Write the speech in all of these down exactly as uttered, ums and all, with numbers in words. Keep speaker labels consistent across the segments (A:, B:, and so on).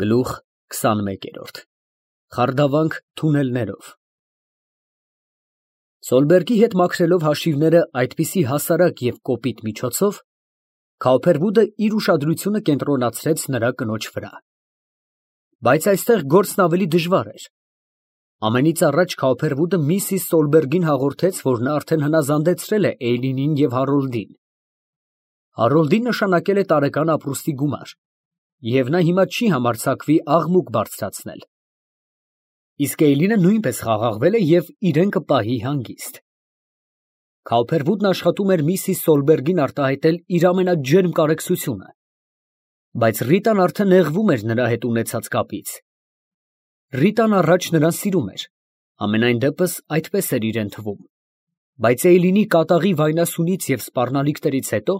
A: Գլուխ քսանմեկերորդ ԽԱՐԴԱՎԱՆՔ Թունելներով Սոլբերգի հետ մաքրելով հաշիվները այդպիսի հասարակ և կոպիտ միջոցով, Քայլփերվուդը իր ուշադրությունը կենտրոնացրեց նրա կնոջ վրա։ Բայց այստեղ գործն ավելի դժվար էր։ Ամենից առաջ Քայլփերվուդը միսիս Սոլբերգին հաղորդեց, որ նա արդեն հնազանդեցրել է Էյլինին և Հարոլդին։ Հարոլդին նշանակել է տարեկան ապրուստի գումար, և նա հիմա չի համարձակվի աղմուկ բարձրացնել։ Իսկ Էյլինը նույնպես խաղաղվել է և իրեն կպահի հանգիստ։ Քայլփերվուդն աշխատում էր միսիս Սոլբերգին արտահայտել իր ամենաջերմ կարեկցությունը, բայց Ռիտան արդեն նեղվում էր նրա հետ ունեցած կապից։ Ռիտան առաջ նրան սիրում էր, համենայն դեպս այդպես էր իրան թվում, բայց Էյլինի կատաղի վայնասունից և սպառնալիքներից հետո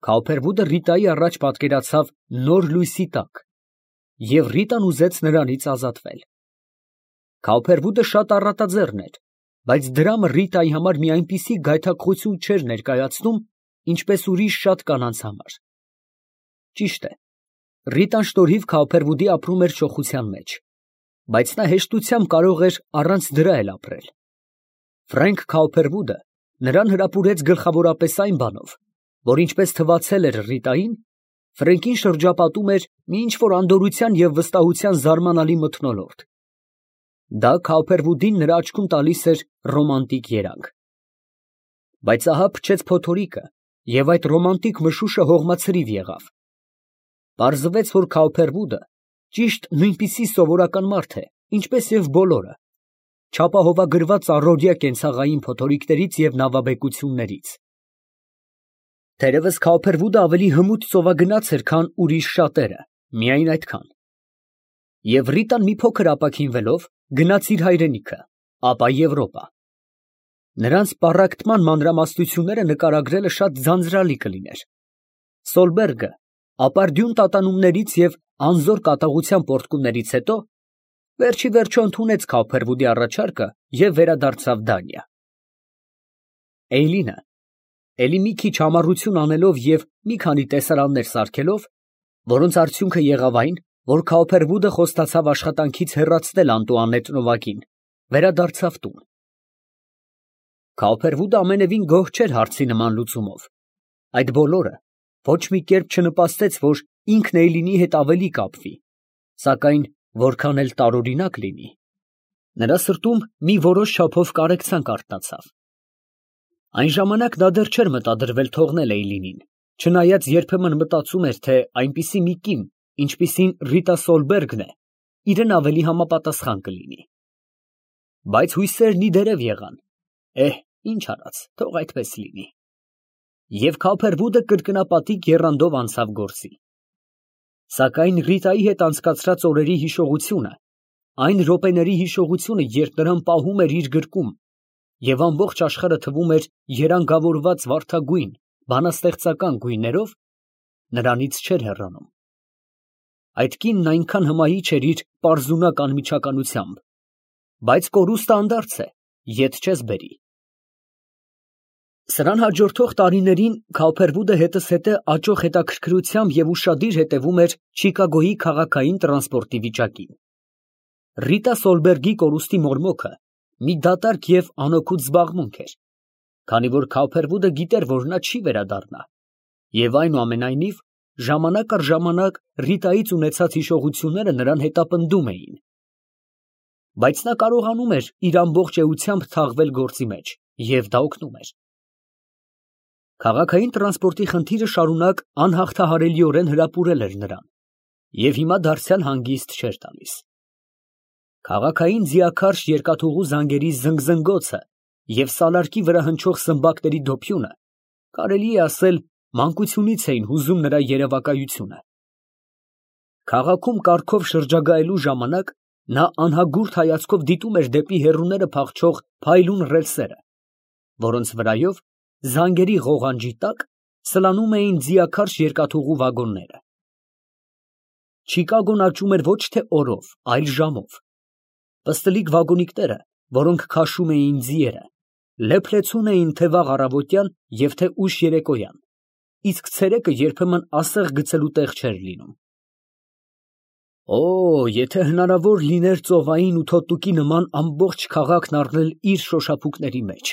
A: Քայլփերվուդը Ռիտայի առաջ պատկերացավ նոր լույսի տակ, և Ռիտան ուզեց նրանից ազատվել։ Քայլփերվուդը շատ առատաձեռն էր, բայց դրամը Ռիտայի համար մի այնպիսի գայթակղություն չէր ներկայացնում, ինչպես ուրիշ շատ կանանց համար։ Ճիշտ է, Ռիտան շնորհիվ Քայլփերվուդի ապրում էր չոխության մեջ, բայց նա հեշտությամբ կարող էր առանց դրա էլ ապրել։ Ֆրենկ Քայլփերվուդը նրան հրապուրեց գլխավորապես այն բանով, որ ինչպես թվացել էր Ռիտային, Ֆրենկին շրջապատում էր մի ինչ֊որ անդորրության և վստահության զարմանալի մթնոլորտ։ Դա Քայլփերվուդին նրա աչքում տալիս էր ռոմանտիկ երանգ։ Բայց ահա փչեց փոթորիկը, և այդ ռոմանտիկ մշուշը հողմացրիվ եղավ։ Պարզվեց, որ Քայլփերվուդը ճիշտ նույնպիսի սովորական մարդ է, ինչպես և բոլորը, չապահովագրված առօրյա կենցաղային փոթորիկներից և նավաբեկություններից։ Թերևս Քայլփերվուդը ավելի հմուտ ծովագնաց էր, քան ուրիշ շատերը, միայն այդքան։ Եվ Ռիտան մի փոքր ապաքինվելով գնաց իր հայրենիքը, ապա Եվրոպա։ Նրանց պառակտման մանրամասնությունները նկարագրելը շատ ձանձրալի կլիներ։ Սոլբերգը ապարդյուն տատանումներից և անզոր կատաղության պոռթկումներից հետո վերջիվերջո ընդունեց Քայլփերվուդի առաջարկը և վերադարձավ Դանիա։ Էյլինը, էլի մի քիչ համառություն անելով և մի քանի տեսարաններ սարքելով, որոնց արդյունքը եղավ այն, որ Քայլփերվուդը խոստացավ աշխատանքից հեռացնել Անտուանետ նովակին, վերադարձավ տուն։ Քայլփերվուդը ամենևին գոհ չէր հարցի նման լուծումով։ Այդ բոլորը ոչ մի կերպ չնպաստեց, որ ինքն Էյլինի հետ ավելի կապվի, սակայն որքան էլ տարօրինակ լինի, նրա սրտում մի որոշ չափով կարեկցանք արթնացավ։ Այն ժամանակ նա դեռ չէր մտադրվել թողնել Էյլինին, չնայած երբեմն մտածում էր, թե այնպիսի մի կին, ինչպիսին Ռիտա Սոլբերգն է, իրան ավելի համապատասխան կլինի։ Բայց հույսերն ի դերև եղան, էհ, ինչ արած, թող այդպես լինի։ Եվ Քայլփերվուդը կրկնապատիկ եռանդով անցավ գործի։ Սակայն Ռիտայի հետ անցկացրած օրերի հիշողությունը, այն րոպեների հիշողությունը, երբ նրան պահում էր իր գրկում, և ամբողջ աշխարհը թվում էր երանգավորված վարդագույն, բանաստեղծական գույներով, նրանից չէր հեռանում։ Այդ կինն այնքան հմայիչ էր իր պարզունակ անմիջականությամբ, բայց կորուստը անդարձ է, ետ չես բերի։ Սրան հաջորդող տարիներին Քայլփերվուդը հետզհետե աճող հետաքրքրությամբ և ուշադիր հետևում էր Չիկագոյի քաղաքային տրանսպորտի վիճակին։ Ռիտա Սոլբերգի կորուստի մորմոքը մի դատարկ և անօգուտ զբաղմունք էր, քանի որ Քայլփերվուդը գիտեր, որ նա չի վերադառնա, և այնուամենայնիվ ժամանակ առ ժամանակ Ռիտայից ունեցած հիշողությունները նրան հետապնդում էին։ Բայց նա կարողանում էր իր ամբողջ էությամբ թաղվել գործի մեջ, և դա օգնում էր։ Քաղաքային տրանսպորտի խնդիրը շարունակ անհաղթահարելիորեն հրապուրել էր նրան, և հիմա դարձյալ հանգիստ չէր տալիս։ Քաղաքային ձիաքարշ երկաթուղու զանգերի զնգզնգոցը և սալարկի վրա հնչող սմբակների դոփյունը, կարելի է ասել, մանկությունից էին հուզում նրա երևակայությունը։ Քաղաքում կառքով շրջագայելու ժամանակ նա անհագուրդ հայացքով դիտում էր դեպի հեռուները փախչող փայլուն ռելսերը, որոնց վրայով, զանգերի ղողանջի տակ, սլանում էին ձիաքարշ երկաթուղու վագոնները։ Չիկագոն աճում էր ոչ թե օրով, այլ ժամով։ Պստլիկ վագոնիկները, որոնք քաշում էին ձիերը, լեփլեցուն էին թե վաղ առավոտյան և թե ուշ երեկոյան, իսկ ցերեկը երբեմն ասեղ գցելու տեղ չէր լինում։ Օ, եթե հնարավոր լիներ ծովային ու թոթուկի նման ամբողջ քաղաքն առնել իր շոշափուկների մեջ,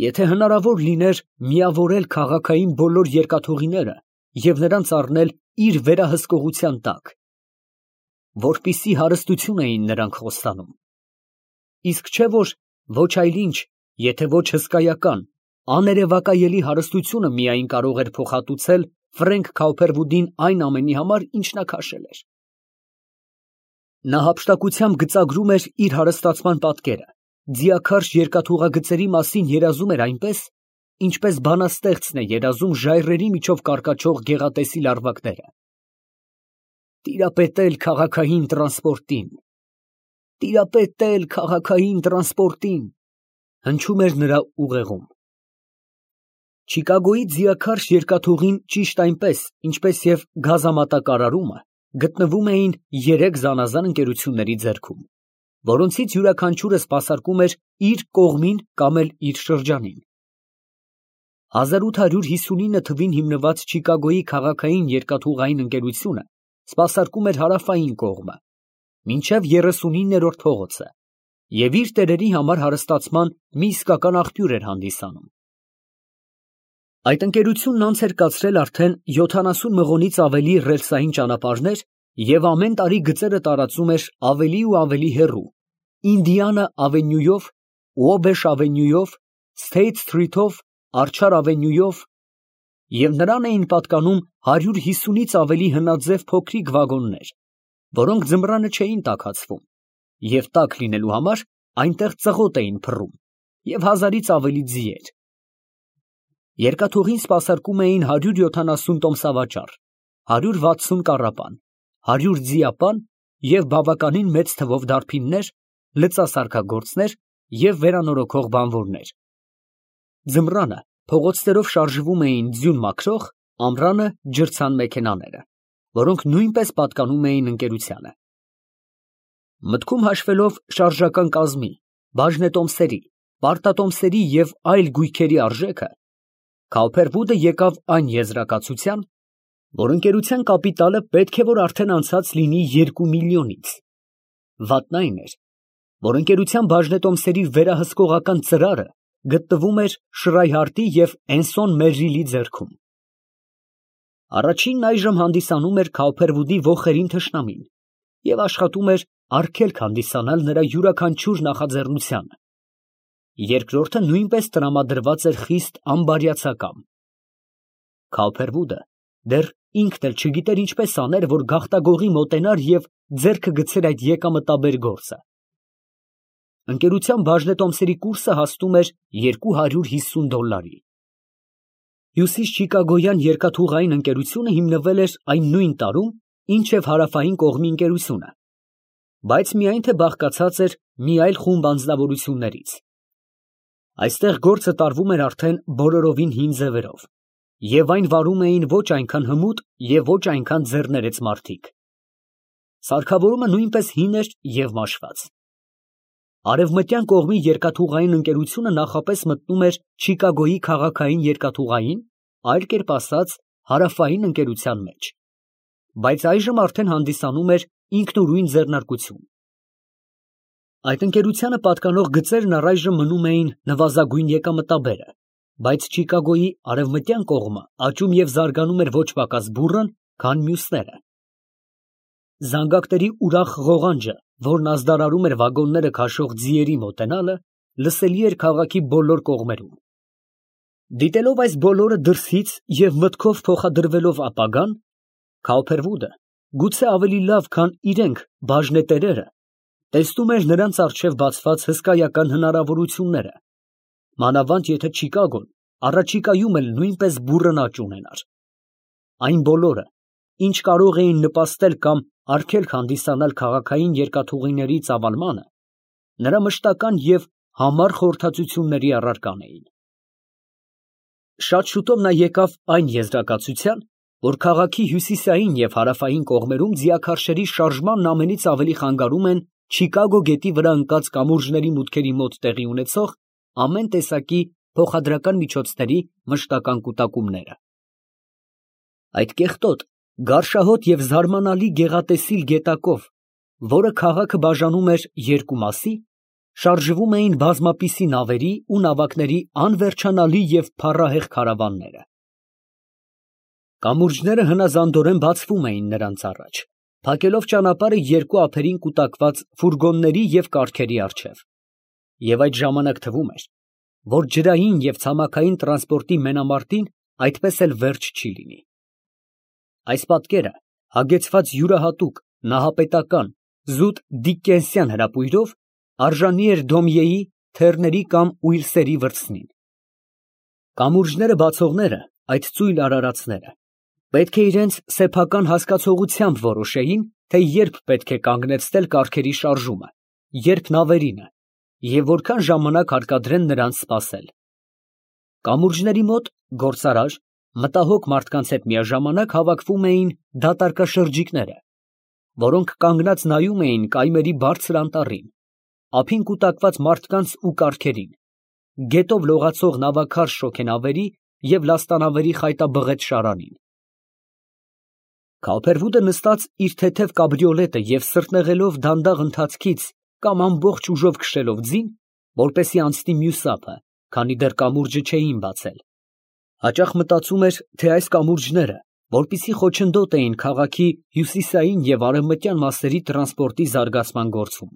A: եթե հնարավոր լիներ միավորել քաղաքային բոլոր երկաթուղիները և նրանց առնել իր վերահսկողության տակ, որպիսի հարստություն էին նրանք խոստանում, իսկ չէ որ ոչ այլ ինչ, եթե ոչ հսկայական, աներևակայելի հարստությունը միայն կարող էր փոխհատուցել Ֆրենք Քաուփերվուդին այն ամենի համար, ինչ նա քաշել էր։ Նա հափշտակությամբ գծագրում էր իր հարստացման պատկերը, ձիաքարշ երկաթուղագծերի մասին երազում էր այնպես, ինչպես բանաստեղծն է երազում ժայռերի միջով կարկաչող գեղատեսիլ լարվածները։ Տիրապետել քաղաքային տրանսպորտին, տիրապետել քաղաքային տրանսպորտին, հնչում էր նրա ուղեղում։ Չիկագոյի ձիաքարշ երկաթուղին ճիշտ այնպես, ինչպես և գազամատակարարումը, գտնվում էին երեք զանազան ընկերությունների ձեռքում, որոնցից յուրաքանչյուրը սպասարկում էր իր կողմին կամ էլ իր շրջանին։ հազար ութ հարյուր հիսունինը թվին հիմնված Չիկագոյի քաղաքային երկաթուղային ընկերությունը սպասարկում էր հարավային կողմը, մինչև երեսունիններորդ փողոցը, և իր տերերի համար հարստացման մի իսկական աղբյուր էր հանդիսանում։ Այդ ընկերությունն անց էր կացրել արդեն յոթանասուն մղոնից ավելի ռելսային ճանապարհներ և ամեն տարի գծերը տարածում էր ավելի ու ավելի հեռու, Ինդիանա ավենյուով, Ուոբեշ ավենյուով, Սթեյթ Սթրիթով, Արջար ավենյուով, և նրան էին պատկանում հարյուր հիսունից ավելի հնաձև փոքրիկ վագոններ, որոնք ձմռանը չէին տաքացվում, և տաք լինելու համար այնտեղ ծղոտ էին փռում, և հազարից ավելի ձիեր։ Երկաթուղին սպասարկում էին հարյուր յոթանասուն տոմսավաճառ, հարյուր վաթսուն կառապան, հարյուր ձիապան և բավականին մեծ թվով դարբիններ, լծասարքագործներ և վերանորոգող բանվորներ։ Ձմռանը փողոցներով շարժվում էին ձյուն մաքրող, ամռանը ջրցան մեքենաները, որոնք նույնպես պատկանում էին ընկերությանը։ Մտքում հաշվելով շարժական կազմի, բաժնետոմսերի, պարտատոմսերի և այլ գույքերի արժեքը, Քաուփերվուդը եկավ այն եզրակացության, որ ընկերության կապիտալը պետք է որ արդեն անցած լինի երկու միլիոնից։ Վատն այն էր, որ ընկերության բաժնետոմսերի վերահսկողական ծրարը գտնվում էր Շրայհարտի և Էնսոն Մերրիլի ձեռքում։ Առաջինն այժմ հանդիսանում էր Քաուփերվուդի ոխերին թշնամին և աշխատում էր արգելք հանդիսանալ նրա յուրաքանչյուր նախաձեռնությանը։ Երկրորդը նույնպես տրամադրված էր խիստ անբարյացակամ։ Քաուփերվուդը դեռ ինքն էլ չգիտեր ինչպես աներ, որ գաղտագողի մոտենար և ձեռքը գցեր այդ եկամտաբեր գործը։ Ընկերության բաժնետոմսերի կուրսը հասնում էր երկու հարյուր հիսուն դոլլարի։ Հյուսիս Չիկագոյան երկաթուղային ընկերությունը հիմնվել էր այն նույն տարում, ինչ և հարավային կողմի ընկերությունը, բայց միայն թե բաղկացած էր մի այլ խումբ անձնավորություններից։ Այստեղ գործը տարվում էր արդեն բոլորովին հին ձևերով, և այն վարում էին ոչ այնքան հմուտ և ոչ այնքան ձեռներեց մարդիկ։ Սարքավորումը նույնպես հին էր և մաշված։ Արևմտյան կողմի երկաթուղային ընկերությունը նախապես մտնում էր Չիկագոյի քաղաքային երկաթուղային, այլ կերպ ասած, հարավային ընկերության մեջ, բայց այժմ արդեն հանդիսանում էր ինքնուրույն ձեռնարկություն։ Այդ ընկերությանը պատկանող գծերն առայժմ մնում էին նվազագույն եկամտաբերը, բայց Չիկագոյի արևմտյան կողմը աճում և զարգանում էր ոչ պակաս բուռն, քան մյուսները։ Զանգակների ուրախ ղողանջը, որն ազդարարում էր վագոնները քաշող ձիերի մոտենալը, լսելի էր քաղաքի բոլոր կողմերում։ Դիտելով այս բոլորը դրսից և մտքով փոխադրվելով ապագան, Քաուփերվուդը, գուցե ավելի լավ, քան իրենք բաժնետերերը, տեսնում էր նրանց առջև բացված հսկայական հնարավորությունները, մանավանդ եթե Չիկագոն առաջիկայում էլ նույնպես բուռն աճ ունենար։ Այն բոլորը, ինչ կարող էին նպաստել կամ արգելք հանդիսանալ քաղաքային երկաթուղիների ծավալմանը, նրա մշտական և համառ խորհրդածությունների առարկան էին։ Շատ շուտով նա եկավ այն եզրակացության, որ քաղաքի հյուսիսային և հարավային կողմերում ձիաքարշերի շարժմանն ամենից ավելի խանգարում են Չիկագո գետի վրա ընկած կամուրջների մուտքերի մոտ տեղի ունեցող ամեն տեսակի փոխադրական միջոցների մշտական կուտակումները։ Այդ կեղտոտ, Գարշահոտ և զարմանալի գեղատեսիլ գետակով, որը քաղաքը բաժանում էր երկու մասի, շարժվում էին բազմապիսի նավերի ու նավակների անվերջանալի և փառահեղ քարավանները։ Կամուրջները հնազանդորեն բացվում էին նրանց առաջ, փակելով ճանապարհը երկու ափերին կուտակված ֆուրգոնների և կառքերի առջև, և այդ ժամանակ թվում էր, որ ջրային և ցամաքային տրանսպորտի մենամարտին այդպես էլ վերջ չի լինի։ Այս պատկերը, հագեցված յուրահատուկ, նահապետական, զուտ դիկկենսյան հրապույրով, արժանի էր Դոմյեի «Թեռների կամ ույլսերի վրձնին»։ Կամուրջները բացողները, այդ ծույլ արարածները, պետք է իրենց սեփական հասկացողությամբ որոշեին, թե երբ պետք է կանգնեցնել կառքերի շարժումը, երբ նավերինը, և որքան ժամանակ հարկադրեն նրանց սպասել։ Կամուրջների մոտ գործարար, մտահոգ մարդկանց հետ միաժամանակ հավաքվում էին դատարկաշրջիկները, որոնք կանգնած նայում էին կայմերի բարձր անտառին, ափին կուտակված մարդկանց ու կառքերին, գետով լողացող նավաքարշ շոգենավերի և լաստանավերի խայտաբղետ շարանին։ Քալփերվուդը նստած իր թեթև կաբրիոլետը և սրտնեղելով դանդաղ ընթացքից կամ ամբողջ ուժով քշելով ձին, որպեսզի անցնի մյուս ափը, քանի դեռ կամուրջը չէին բացել, հաճախ մտածում էր, թե այս կամուրջները որպիսի խոչընդոտ էին քաղաքի հյուսիսային և արևմտյան մասերի տրանսպորտի զարգացման գործում։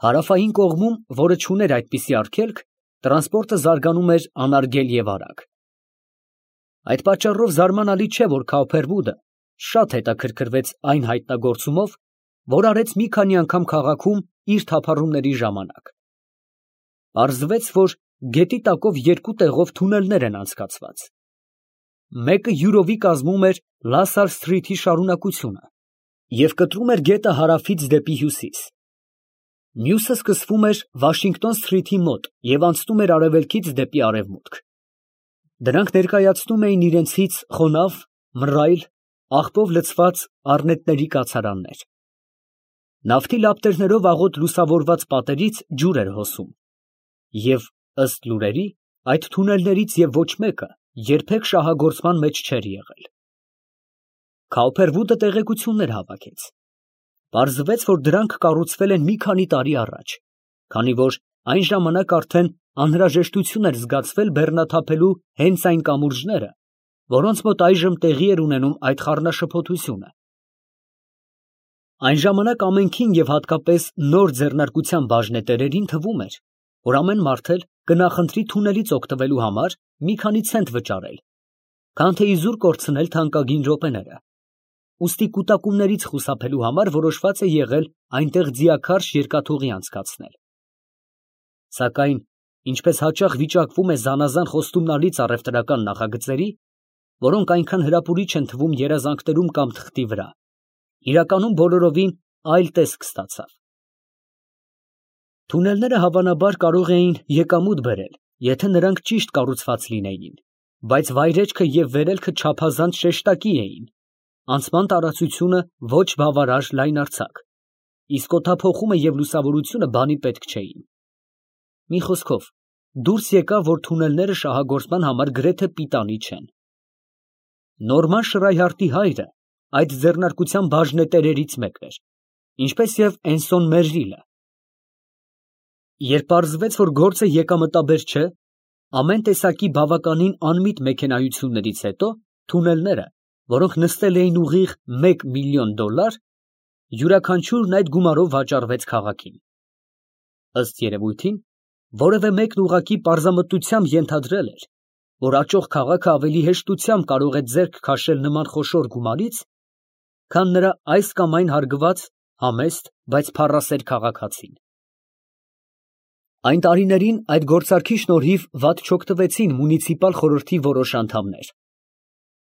A: Հարավային կողմում, որը չուներ այդպիսի արգելք, տրանսպորտը զարգանում էր անարգել և արագ։ Այդ պատճառով զարմանալի չէ, որ Քալփերվուդը շատ հետաքրքրվեց այն հայտնագործումով, որ արեց մի քանի անգամ քաղաքում իր թափառումների ժամանակ։ Պարզվեց, որ գետի տակով երկու տեղով թունելներ են անցկացված։ Մեկը յուրովի կազմում էր Լասար Սթրիթի շարունակությունը և կտրում էր գետը հարավից դեպի հյուսիս։ Մյուսը սկսվում էր Վաշինգտոն Սթրիթի մոտ և անցնում էր արևելքից դեպի արևմուտք։ Դրանք ներկայացնում էին իրենցից խոնավ, մռայլ, աղբով լցված առնետների կացարաններ։ Նավթի լապտերներով աղոտ լուսավորված պատերից ջուր էր հոսում, և, ըստ լուրերի, այդ թունելներից և ոչ մեկը երբեք շահագործման մեջ չէր եղել։ Քալփերվուդը տեղեկություններ հավաքեց։ Պարզվեց, որ դրանք կառուցվել են մի քանի տարի առաջ, քանի որ այն ժամանակ արդեն անհրաժեշտություն էր զգացվել բեռնաթափելու հենց այն կամուրջները, որոնց մոտ այժմ տեղի էր ունենում այդ խառնաշփոթությունը։ Այն ժամանակ ամենքին և հատկապես նոր ձեռնարկության բաժնետերերին թվում էր, որ ամեն մարդ էլ կնախընտրի թունելից օգտվելու համար մի քանի ցենտ վճարել, քան թե իզուր կորցնել թանկագին րոպեները, ուստի կուտակումներից խուսափելու համար որոշված է եղել այնտեղ ձիաքարշ երկաթուղի անցկացնել։ Սակայն, ինչպես հաճախ վիճակվում է զանազան խոստումնալից առևտրական նախագծերի, որոնք այնքան հրապուրիչ են թվում երազանքներում կամ թղթի վրա, իրականում բոլորովին այլ տեսք ստացավ։ Թունելները հավանաբար կարող էին եկամուտ բերել, եթե նրանք ճիշտ կառուցված լինեին, բայց վայրեջքը և վերելքը չափազանց շեշտակի էին, անցման տարածությունը ոչ բավարար լայնարձակ, իսկ օդափոխումը և լուսավորությունը բանի պետք չէին։ Մի խոսքով, դուրս եկավ, որ թունելները շահագործման համար գրեթե պիտանի չեն։ Նորման Շրայհարտի հայրը այդ ձեռնարկության բաժնետերերից մեկն էր, ինչպես և Էնսոն Մերրիլը։ Երբ պարզվեց, որ գործը եկամտաբեր չէ, ամեն տեսակի բավականին անմիտ մեքենայություններից հետո թունելները, որոնք նստել էին ուղիղ մեկ միլիոն դոլար, յուրաքանչյուրն այդ գումարով վաճառվեց քաղաքին։ Ըստ երևույթին, որևէ մեկն ուղղակի պարզամտությամբ ենթադրել էր, որ աճող քաղաքը ավելի հեշտությամբ կարող է ձեռք քաշել նման խոշոր գումարից, քան նրա այս կամ այն հարգված, համեստ, բայց փառասեր քաղաքացին։ Այն տարիներին այդ գործարքի շնորհիվ վատ չօգտվեցին մունիցիպալ խորհրդի որոշ անդամներ,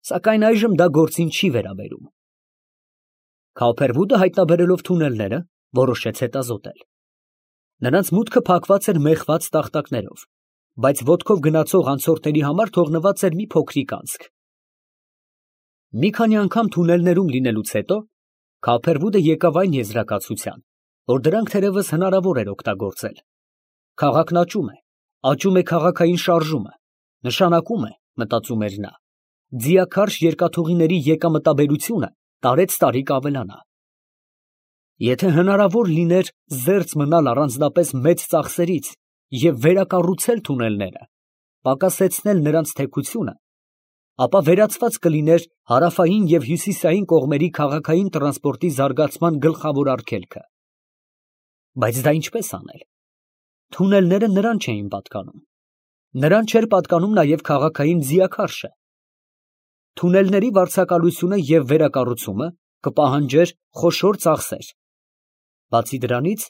A: սակայն այժմ դա գործին չի վերաբերում։ Քալփերվուդը հայտնաբերելով թունելները, որոշեց հետազոտել։ Նրանց մուտքը փակված էր մեխված տախտակներով, բայց ոտքով գնացող անցորդների համար թողնված էր մի փոքրիկ անցք։ Մի քանի անգամ թունելներում լինելուց հետո Քալփերվուդը եկավ այն եզրակացության, որ դրանք թերևս հնարավոր էր օգտագործել։ Քաղաքն աճում է, աճում է քաղաքային շարժումը, նշանակում է, մտածում էր նա, ձիաքարշ երկաթուղիների եկամտաբերությունը տարեցտարի կավելանա։ Եթե հնարավոր լիներ զերծ մնալ առանձնապես մեծ ծախսերից և վերակառուցել թունելները, պակասեցնել նրանց թեքությունը, ապա վերացված կլիներ հարավային և հյուսիսային կողմերի քաղաքային տրանսպորտի զարգացման գլխավոր արգելքը։ Բայց դա ինչպես անել։ Թունելները նրան չէին պատկանում։ Նրան չէր պատկանում նաև քաղաքային ձիաքարշը։ Թունելների վարձակալությունը և վերակառուցումը կպահանջեր խոշոր ծախսեր։ Բացի դրանից,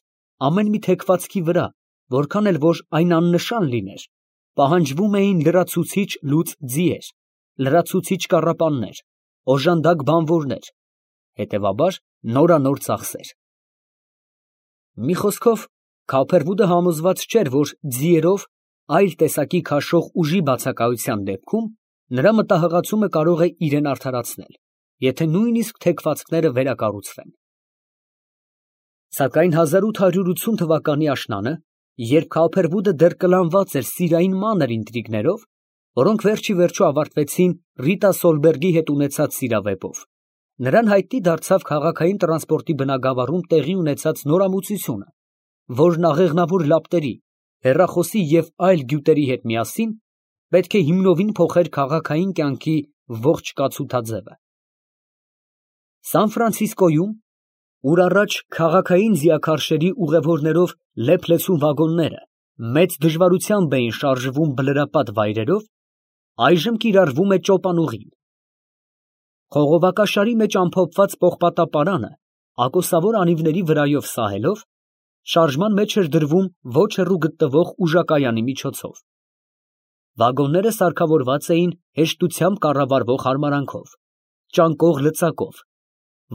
A: ամեն մի թեքվածքի վրա, որքան էլ որ այն աննշան լիներ, պահանջվում էին լրացուցիչ լուծ ձիեր, լրացուցիչ կառապաններ, օժանդակ բանվորներ, հետևաբար նորանոր ծախսեր։ Մի խոսքով, Քափերվուդը համոզված չէր, որ ձիերով այլ տեսակի քաշող ուժի բացակայության դեպքում նրա մտահղացումը կարող է իրան արդարացնել, եթե նույնիսկ թեքվածքները վերակառուցվեն։ Սակայն հազար ութ հարյուր ութսուն թվականի աշնանը, երբ Քափերվուդը դեռ կլանված էր սիրային մանր ինտրիգներով, որոնք վերջիվերջո ավարտվեցին Ռիտա Սոլբերգի հետ ունեցած սիրավեպով, նրան հայտնի դարձավ քաղաքային տրանսպորտի բնագավառում տեղի ունեցած նորամուծությունը, որն աղեղնավոր լապտերի, հեռախոսի և այլ գյուտերի հետ միասին պետք է հիմնովին փոխեր քաղաքային կյանքի ողջ կացութաձևը։ Սան Ֆրանցիսկոյում, ուր առաջ քաղաքային ձիաքարշերի ուղևորներով լեփ-լեցուն վագոնները մեծ դժվարությամբ էին շարժվում բլրապատ վայրերով, այժմ կիրառվում է ճոպանուղին։ Խողովակաշարի մեջ ամփոփված պողպատապարանը ակոսավոր անիվների վրայով սահելով, շարժման մեջ էր դրվում ոչ հեռու գտնվող ուժակայանի միջոցով։ Վագոնները սարքավորված էին հեշտությամբ կառավարվող հարմարանքով, ճանկող լծակով,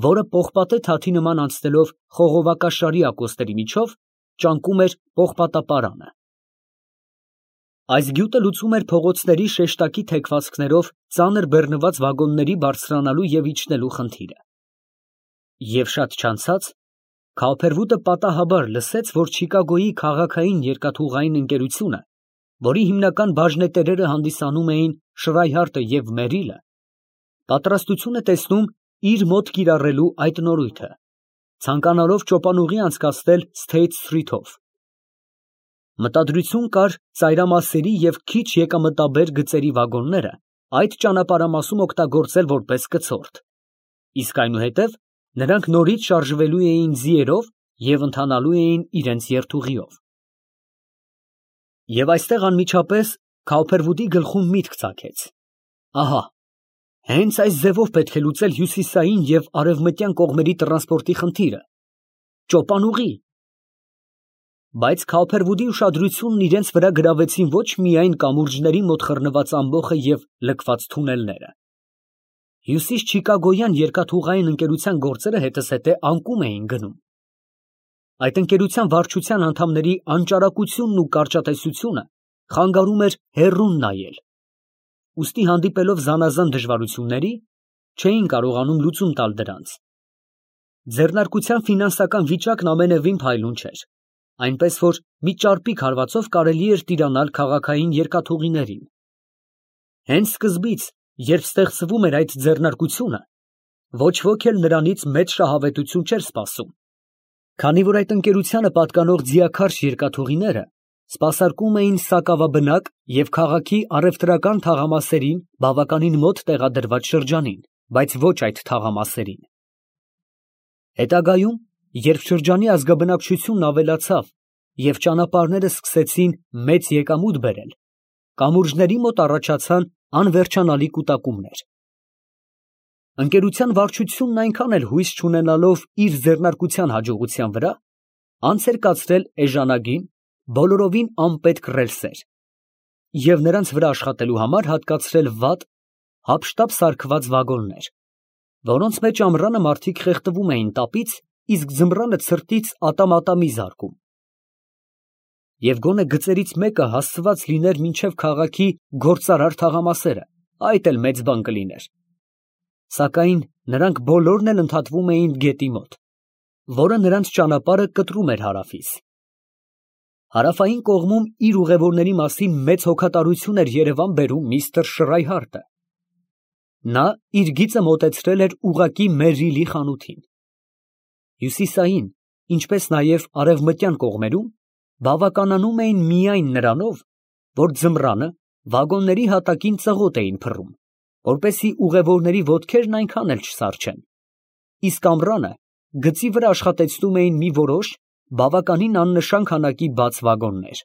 A: որը պողպատե թաթի նման անցնելով խողովակաշարի ակոսների միջով ճանկում էր պողպատապարանը։ Այս գյուտը լուծում էր փողոցների շեշտակի թեքվածքներով ծանր բեռնված վագոնների բարձրանալու և իջնելու խնդիրը։ Եվ շատ չանցած, Քափերվուդը պատահաբար լսեց, որ Չիկագոյի քաղաքային երկաթուղային ընկերությունը, որի հիմնական բաժնետերերը հանդիսանում էին Շրայհարտը և Մերիլը, պատրաստություն է տեսնում իր մոտ կիրառելու այդ նորույթը, ցանկանալով ճոպանուղի անցկացնել Սթեյթ Սթրիթով։ Մտադրություն կար ծայրամասերի և քիչ եկամտաբեր գծերի վագոնները այդ ճանապարհամասում օգտագործել որպես կցորդ, իսկ այնուհետև նրանք նորից շարժվելու էին ձիերով և ընթանալու էին իրենց երթուղիով։ Եվ այստեղ անմիջապես Քափերվուդի գլխում միտք ծագեց. ահա, հենց այս ձևով պետք է լուծել հյուսիսային և արևմտյան կողմերի տրանսպորտի խնդիրը, ճոպանուղի։ Բայց Քափերվուդի ուշադրությունն իրենց վրա գրավեցին ոչ միայն կամուրջների մոտ խռնված ամբոխը և լքված թունելները։ Հյուսիս Չիկագոյան երկաթուղային ընկերության գործերը հետզհետե անկում էին գնում։ Այդ ընկերության վարչության անդամների անճարակությունն ու կարճատեսությունը խանգարում էր հեռուն նայել, ուստի հանդիպելով զանազան դժվարությունների, չէին կարողանում լուծում տալ դրանց։ Ձեռնարկության ֆինանսական վիճակն ամենևին փայլուն չէր, այնպես որ մի ճարպիկ հարվածով կարելի էր տիրանալ քաղաքային երկաթուղիներին։ Հենց սկզբից, երբ ստեղծվում էր այդ ձեռնարկությունը, ոչ ոք էլ նրանից մեծ շահավետություն չէր սպասում, քանի որ այդ ընկերությանը պատկանող ձիաքարշ երկաթուղիները սպասարկում էին սակավաբնակ և քաղաքի առևտրական թաղամասերին բավականին մոտ տեղադրված շրջանին, բայց ոչ այդ թաղամասերին։ Հետագայում, երբ շրջանի ազգաբնակչությունն ավելացավ և ճանապարհները սկսեցին մեծ եկամուտ բերել, կամուրջների մոտ առաջացան անվերջանալի կուտակումներ։ Ընկերության վարչությունն այնքան էլ հույս չունենալով իր ձեռնարկության հաջողության վրա, անց էր կացրել էժանագին, բոլորովին անպետք ռելսեր և նրանց վրա աշխատելու համար հատկացրել վատ, հափշտապ սարքված վագոններ, որոնց մեջ ամռանը մարդիկ խեղդվում էին տապից, իսկ ձմռանը ցրտից ատամ֊ատամի զարկում։ Եվ գոնե գծերից մեկը հասցված լիներ մինչև քաղաքի գործարար թաղամասերը, այդ էլ մեծ բան կլիներ։ Սակայն նրանք բոլորն էլ ընդհատվում էին գետի մոտ, որը նրանց ճանապարհը կտրում էր հարավից։ Հարավային կողմում իր ուղևորների մասին մեծ հոգատարություն էր երևան բերում միստր Շրայհարտը։ Նա իր գիծը մոտեցրել էր ուղղակի Մերրիլի խանութին։ Հյուսիսային, ինչպես նաև արևմտյան կողմերում բավականանում էին միայն նրանով, որ ձմռանը վագոնների հատակին ծղոտ էին փռում, որպեսզի ուղևորների ոտքերն այնքան էլ չսառչեն, իսկ ամռանը գծի վրա աշխատեցնում էին մի որոշ, բավականին աննշան քանակի բաց վագոններ։